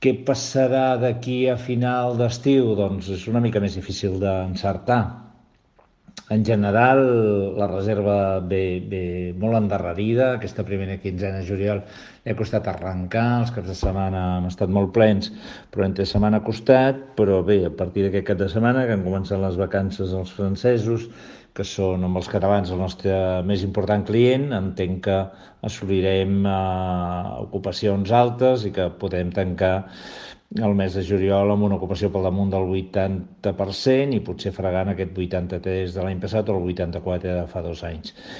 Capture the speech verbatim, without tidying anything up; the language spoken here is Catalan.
Què passarà d'aquí a final d'estiu? Doncs és una mica més difícil d'encertar. En general, la reserva ve, ve molt endarrerida. Aquesta primera quinzena de juliol li ha costat arrencar, els caps de setmana han estat molt plens, però entre setmana ha costat, però bé, a partir d'aquest cap de setmana, que han començat les vacances als francesos, que són amb els catalans el nostre més important client, entenc que assolirem eh, ocupacions altes i que podem tancar el mes de juliol amb una ocupació pel damunt del vuitanta per cent i potser fregant aquest vuitanta-tres de l'any passat o el vuitanta-quatre de fa dos anys.